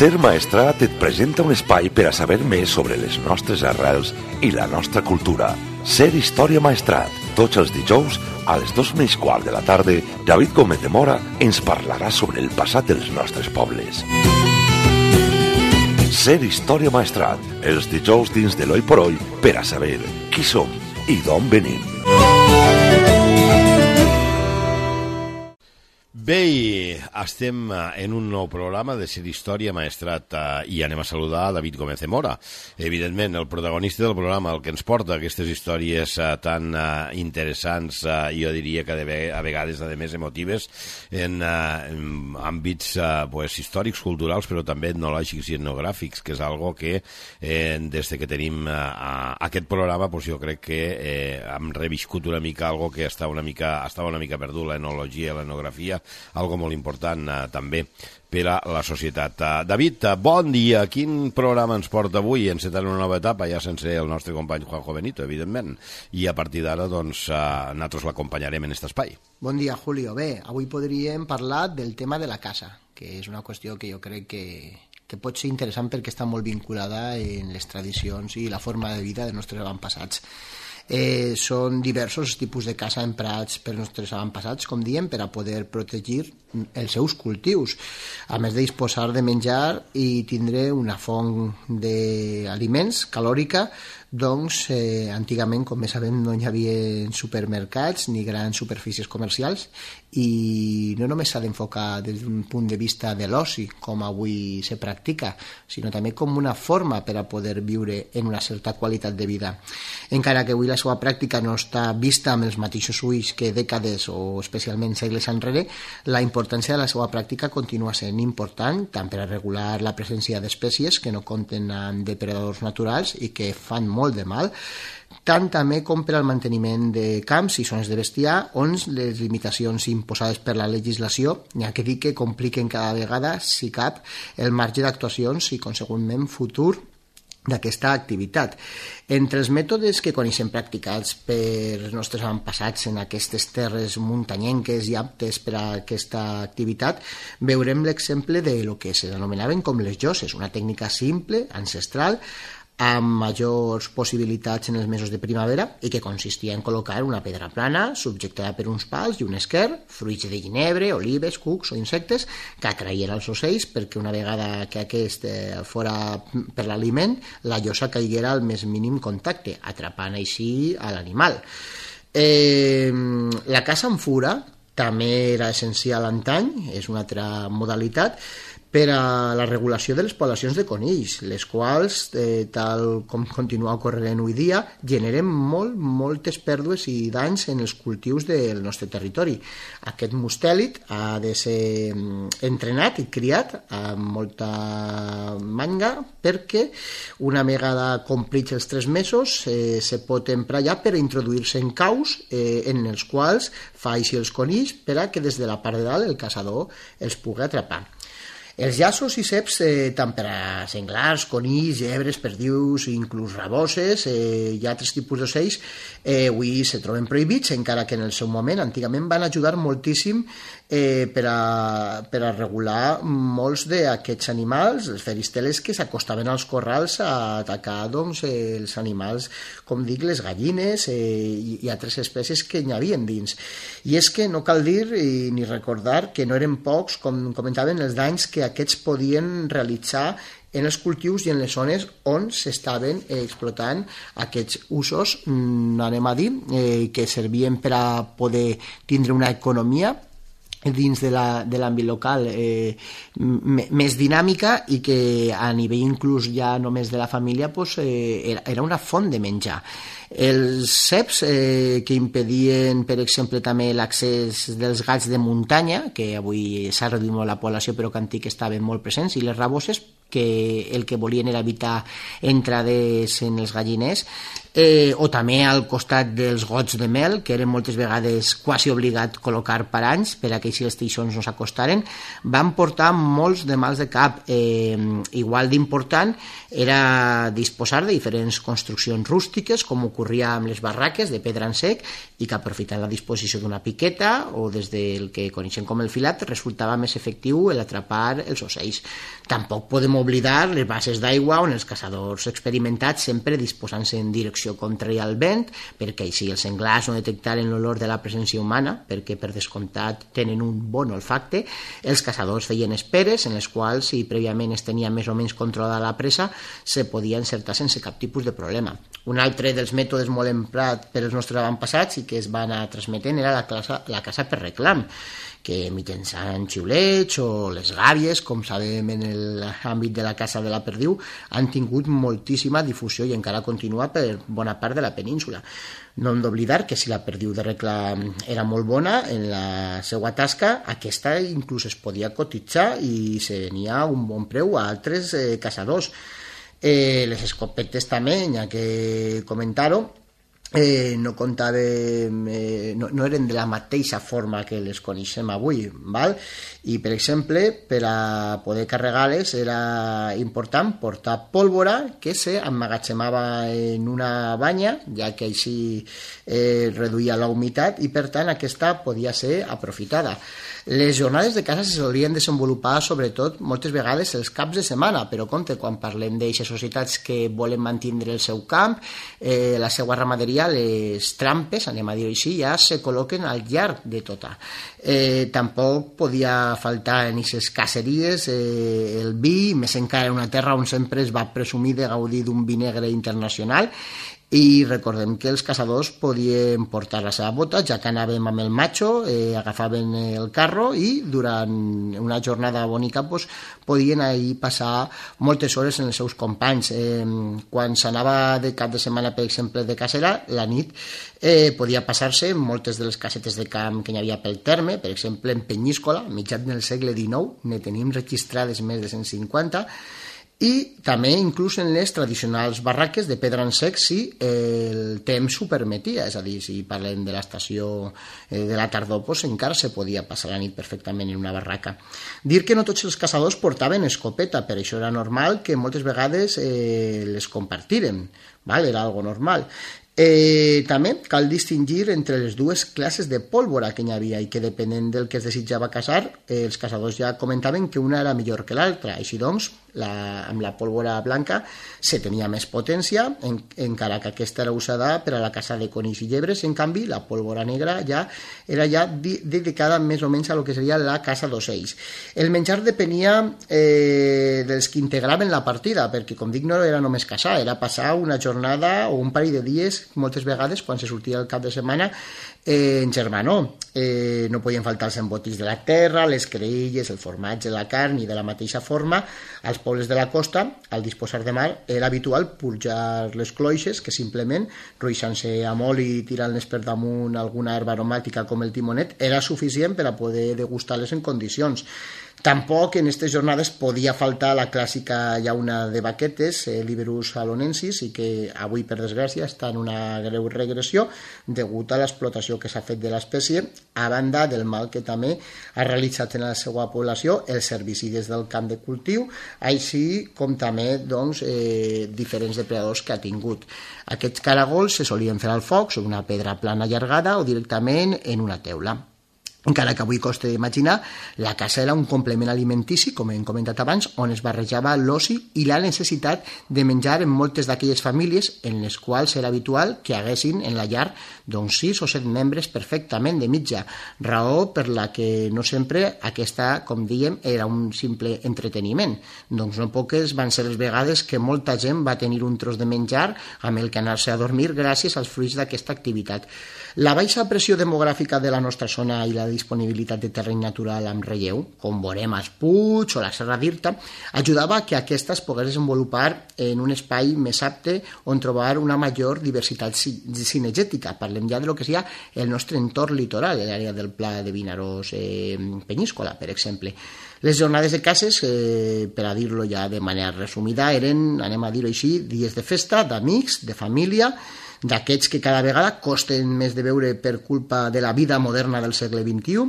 Ser Maestrat et presenta un espai per a saber més sobre les nostres arrels i la nostra cultura. Ser Història Maestrat. Tots els dijous, a les 2:15 de la tarda, David Gómez de Mora ens parlarà sobre el passat dels nostres pobles. Ser Història Maestrat. Els dijous dins de l'Oi por Oi per a saber qui som i d'on venim. Bé, estem en un nou programa de Ser Història Maestrat i anem a saludar a David Gómez de Mora. Evidentment, el protagonista del programa, el que ens porta aquestes històries tan interessants, jo diria que a vegades, a més, emotives, en àmbits històrics, culturals, però també etnològics i etnogràfics, que és algo que des que tenim aquest programa jo crec que hem reviscut una mica algo que estava una mica perdut, l'etnologia i l'etnografia, algo molt important també per a la societat. David, bon dia. Quin programa ens porta avui? Encetant una nova etapa, ja sense el nostre company Juanjo Benito, evidentment. I a partir d'ara, nosaltres l'acompanyarem en aquest espai. Bon dia, Julio. Bé, avui podríem parlar del tema de la casa, que és una qüestió que jo crec que pot ser interessant perquè està molt vinculada en les tradicions i la forma de vida dels nostres avantpassats. Són diversos tipus de casa emprats per nostres avantpassats, com diem, per a poder protegir els seus cultius, a més de disposar de menjar i tindre una font d'aliments calòrica. Doncs, antigament, com bé sabem, no hi havia supermercats ni grans superfícies comercials i no només s'ha d'enfocar des d'un punt de vista de l'oci, com avui se practica, sinó també com una forma per a poder viure en una certa qualitat de vida. Encara que avui la seva pràctica no està vista amb els mateixos ulls que dècades o especialment segles enrere, la importància de la seva pràctica continua sent important, tant per a regular la presència d'espècies que no compten amb depredadors naturals i que fan molt de mal, tant també com per al manteniment de camps i zones de bestiar on les limitacions imposades per la legislació n'hi ha que dir que compliquen cada vegada, si cap, el marge d'actuacions i consegüentment futur d'aquesta activitat. Entre els mètodes que coneixem practicats per nostres avantpassats en aquestes terres muntanyenques i aptes per a aquesta activitat, veurem l'exemple de lo que s'anomenaven com les lloses, una tècnica simple, ancestral, amb majors possibilitats en els mesos de primavera i que consistia en col·locar una pedra plana subjectada per uns pals i un esquer, fruits de ginebre, olives, cucs o insectes que atraïen els ocells perquè una vegada que aquest fora per l'aliment, la llosa caiguera al més mínim contacte, atrapant així a l'animal. La caça amb fura també era essencial antany, és una altra modalitat, per a la regulació de les poblacions de conills, les quals, tal com continua ocorrent avui dia, generen moltes pèrdues i danys en els cultius del nostre territori. Aquest mustèlid ha de ser entrenat i criat amb molta manga perquè una vegada complits els 3 mesos se pot emprar ja per introduir-se en caus en els quals fa així els conills per a que des de la part de dalt el caçador els pugui atrapar. Els llaços i ceps, tant per a senglars, conills, llebres, perdius, inclús raboses i altres tipus d'ocells, avui se troben prohibits, encara que en el seu moment, antigament, van ajudar moltíssim per a regular molts d'aquests animals, els feristeles que s'acostaven als corrals a atacar els animals, com dic, les gallines i altres espècies que n'hi havia dins. I és que no cal dir ni recordar que no eren pocs, com comentaven, els danys que aquests podien realitzar en els cultius i en les zones on s'estaven explotant aquests usos, anem a dir, que servien per a poder tindre una economia dins de l'àmbit local més dinàmica i que a nivell inclús ja només de la família era una font de menjar. Els ceps que impedien, per exemple, també l'accés dels gats de muntanya, que avui s'ha reduït molt la població però que antic estaven molt presents, i les raboses que el que volien era evitar entrades en els galliners, o també al costat dels gots de mel, que eren moltes vegades quasi obligat col·locar paranys per a que així els teixons no s'acostaren, van portar molts de mals de cap. Igual d'important era disposar de diferents construccions rústiques, com ocorria amb les barraques de pedra en sec, i que aprofitant la disposició d'una piqueta o des del que coneixem com el filat resultava més efectiu l'atrapar els ocells. Tampoc podem oblidar les bases d'aigua on els caçadors experimentats sempre disposant-se en direcció contrària al vent, perquè així els senglars no detectaren l'olor de la presència humana, perquè per descomptat tenen un bon olfacte. Els caçadors feien esperes en les quals, si prèviament es tenia més o menys controlada la presa, se podia encertar sense cap tipus de problema. Un altre dels mètodes molt emprat per els nostres avantpassats i que es va anar transmetent era la caça per reclam, que mitjançant xiulets o les gàbies, com sabem en l'àmbit de la caça de la perdiu, han tingut moltíssima difusió i encara continua per bona part de la península. No hem d'oblidar que si la perdiu de reclam era molt bona en la seva tasca, aquesta inclús es podia cotitzar i se venia un bon preu a altres caçadors. Les escopetes també, ja que comentar-ho, no comptàvem, no eren de la mateixa forma que les coneixem avui, val? I per exemple, per a poder carregar-les era important portar pólvora que s'emmagatzemava en una banya, ja que així reduïa la humitat i per tant aquesta podia ser aprofitada. Les jornades de caça se solien desenvolupar sobretot moltes vegades els caps de setmana, però compte, quan parlem d'aixes societats que volen mantenir el seu camp, la seva ramaderia, les trampes, anem a dir-ho així, ja se col·loquen al llarg de tota. Tampoc podia faltar en aquestes caceries el vi, més encara en una terra on sempre es va presumir de gaudir d'un vi negre internacional. I recordem que els caçadors podien portar la seva bota, ja que anàvem amb el macho, agafaven el carro i durant una jornada bonica podien ahir passar moltes hores en els seus companys. Quan s'anava de cap de setmana, per exemple, de cacera, la nit podia passar-se moltes de les casetes de camp que hi havia pel terme, per exemple en Penyíscola, mitjans del segle XIX, ne tenim registrades més de 150, i també inclús en les tradicionals barraques de pedra en sec si el temps ho permetia, és a dir, si parlem de l'estació de la tardor, encara se podia passar la nit perfectament en una barraca. Dir que no tots els caçadors portaven escopeta, per això era normal que moltes vegades les compartiren, era algo normal. També cal distingir entre les dues classes de pólvora que hi havia i que depenent del que es desitjava caçar, els caçadors ja comentaven que una era millor que l'altra. Així doncs, amb la pólvora blanca se tenia més potència, encara que aquesta era usada per a la caça de conills i llebres. En canvi, la pólvora negra era dedicada més o menys a lo que seria la caça d'ocells. El menjar depenia dels que integraven la partida, perquè, com dic, no era només caçar, era passar una jornada o un parell de dies, moltes vegades, quan se sortia el cap de setmana, en germanor. No podien faltar els embotis de la terra, les creïlles, el formatge, la carn, i de la mateixa forma, als pobles de la costa, al disposar de mar, era habitual purjar les cloixes, que simplement, ruixant-se amb oli i tirant-les per damunt alguna herba aromàtica com el timonet, era suficient per a poder degustar-les en condicions. Tampoc en aquestes jornades podia faltar la clàssica llauna de baquetes, Liberus halonensis, i que avui, per desgràcia, està en una greu regressió degut a l'explotació que s'ha fet de l'espècie, a banda del mal que també ha realitzat en la seva població els herbicides del camp de cultiu, així com també diferents depredadors que ha tingut. Aquests caragols se solien fer al foc sobre una pedra plana allargada o directament en una teula. Encara que avui costa d'imaginar, la caça era un complement alimentici, com hem comentat abans, on es barrejava l'oci i la necessitat de menjar en moltes d'aquelles famílies en les quals era habitual que haguessin en la llar 6 o 7 membres perfectament de mitja, raó per la que no sempre aquesta, com dèiem, era un simple entreteniment. No poques van ser les vegades que molta gent va tenir un tros de menjar amb el que anar-se a dormir gràcies als fruits d'aquesta activitat. La baixa pressió demogràfica de la nostra zona i la disponibilitat de terreny natural amb relleu, com veurem als Puig o la Serra d'Irta, ajudava que aquesta es pogués desenvolupar en un espai més apte on trobar una major diversitat cinegètica. Parlem ja de lo que seria el nostre entorn litoral, l'àrea del Pla de Vinaròs Penyíscola, per exemple. Les jornades de cases, per a dir-lo ja de manera resumida, eren, anem a dir-ho així, dies de festa, d'amics, de família, d'aquests que cada vegada costen més de veure per culpa de la vida moderna del segle XXI,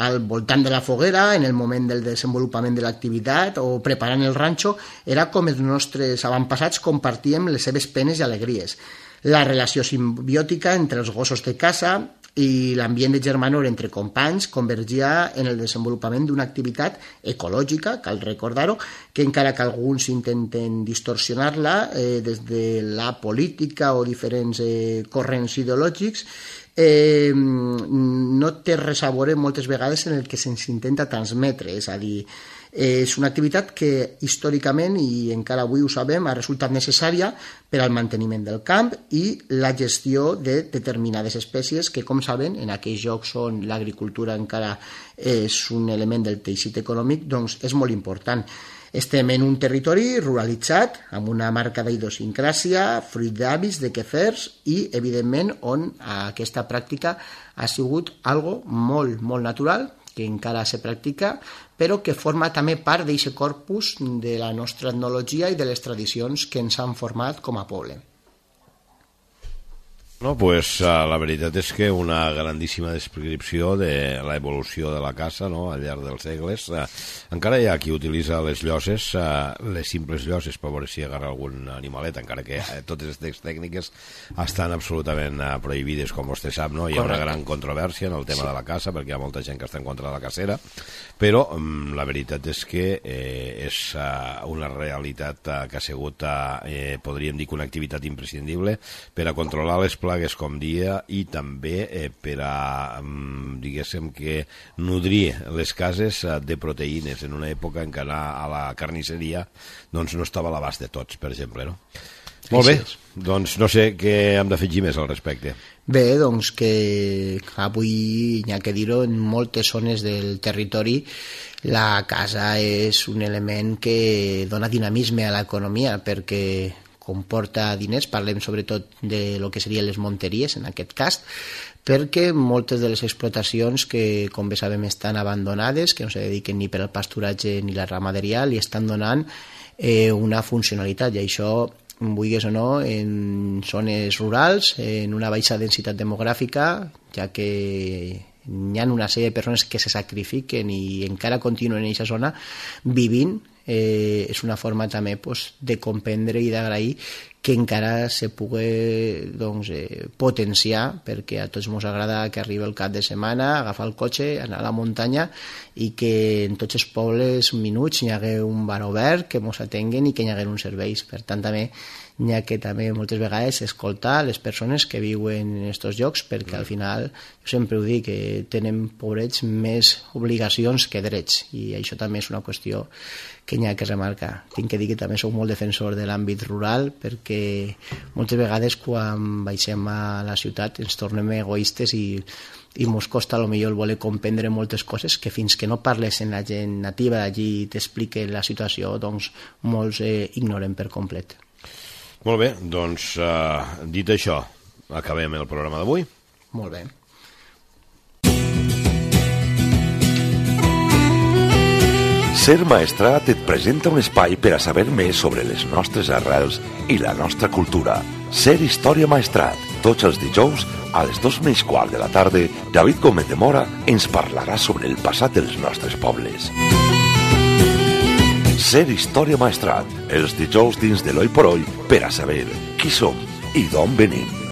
al voltant de la foguera, en el moment del desenvolupament de l'activitat o preparant el ranxo, era com els nostres avantpassats compartíem les seves penes i alegries. La relació simbiòtica entre els gossos de casa i l'ambient de germanor entre companys convergia en el desenvolupament d'una activitat ecològica, cal recordar-ho, que encara que alguns intenten distorsionar-la des de la política o diferents corrents ideològics, no té res a veure moltes vegades en el que se'ns intenta transmetre, és a dir, és una activitat que històricament, i encara avui ho sabem, ha resultat necessària per al manteniment del camp i la gestió de determinades espècies que, com saben, en aquells llocs on l'agricultura encara és un element del teixit econòmic, doncs és molt important. Estem en un territori ruralitzat, amb una marcada idiosincràsia, fruit d'hàbits, de quefers i, evidentment, on aquesta pràctica ha sigut algo molt, molt natural, que encara se practica, però que forma també part d'aquest corpus de la nostra etnologia i de les tradicions que ens han format com a poble. No, pues la veritat és que una grandíssima descripció de l'evolució de la caça, no?, al llarg dels segles. Encara hi ha qui utilitza les lloses, les simples lloses, per veure si agarra algun animalet, encara que totes aquestes tècniques estan absolutament prohibides, com vostè sap, no? Hi ha una gran controvèrsia en el tema de la caça, perquè hi ha molta gent que està en contra de la cacera, però la veritat és que és una realitat que ha sigut, podríem dir, una activitat imprescindible per a controlar les plagues, com dia, i també per a, diguéssim, que nodrir les cases de proteïnes en una època en què anar a la carnisseria doncs no estava a l'abast de tots, per exemple, no? Molt bé, doncs no sé què hem d'afegir més al respecte. Bé, doncs que avui, n'hi ha que dir-ho, en moltes zones del territori la casa és un element que dona dinamisme a l'economia, perquè comporta diners, parlem sobretot de lo que serien les monteries en aquest cas, perquè moltes de les explotacions que, com bé sabem, estan abandonades, que no se dediquen ni per al pasturatge ni la ramaderia, li estan donant una funcionalitat, i això, vulguis o no, en zones rurals, en una baixa densitat demogràfica, ja que hi ha una sèrie de persones que se sacrifiquen i encara continuen en aquesta zona vivint. És una forma també de comprendre i d'agrair que encara se pugui potenciar, perquè a tots ens agrada que arribi el cap de setmana, agafar el cotxe, anar a la muntanya, i que en tots els pobles minuts hi hagi un bar obert, que ens atenguen i que hi hagi uns serveis. Per tant, també n'hi ha que també moltes vegades escoltar les persones que viuen en aquests llocs, perquè al final, jo sempre ho dic, que tenen, pobrets, més obligacions que drets, i això també és una qüestió que n'hi ha que remarcar. Tinc que dir que també soc molt defensor de l'àmbit rural, perquè moltes vegades quan baixem a la ciutat ens tornem egoistes i ens costa potser el voler comprendre moltes coses que fins que no parles amb la gent nativa d'allí i t'expliquen la situació, doncs molts ignoren per complet. Molt bé, doncs dit això, acabem el programa d'avui. Molt bé. Ser Maestrat et presenta un espai per a saber més sobre les nostres arrels i la nostra cultura. Ser Història Maestrat. Tots els dijous, a les 2:15 de la tarda, David Gómez de Mora ens parlarà sobre el passat dels nostres pobles. Ser Història Maestrat. Els dijous dins de l'Oi por Oi per a saber qui som i d'on venim.